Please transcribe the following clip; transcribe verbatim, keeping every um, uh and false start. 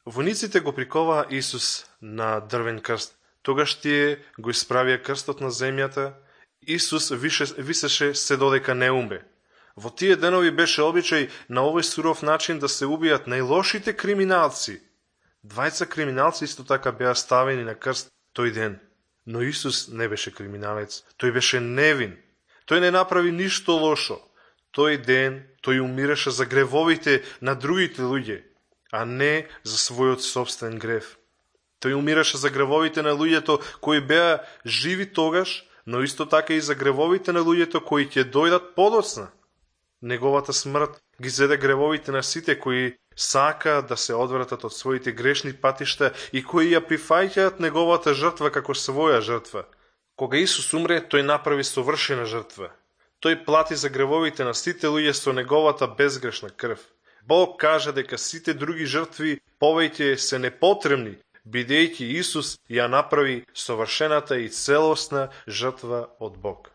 Војниците го приковаа Исус на дрвен крст. Тогаш тие го исправија крстот на земјата. Исус висеше се додека не умре. Во тие денови беше обичај на овој суров начин да се убијат најлошите криминалци. Двајца криминалци исто така беа ставени на крст тој ден. Но Исус не беше криминалец. Тој беше невин. Тој не направи ништо лошо. Тој ден тој умираше за гревовите на другите луѓе, а не за својот собствен грев. Тој умираше за гревовите на луѓето кои беа живи тогаш, но исто така и за гревовите на луѓето кои ќе дојдат подоцна. Неговата смрт ги зеде гревовите на сите кои сакаат да се одвратат од своите грешни патишта и кои ја прифаќаат неговата жртва како своја жртва. Кога Исус умре, тој направи совршена жртва. Тој плати за гревовите на сите луѓе со неговата безгрешна крв. Бог кажа дека сите други жртви повеќе се непотребни, бидејќи Исус ја направи совршената и целосна жртва од Бог.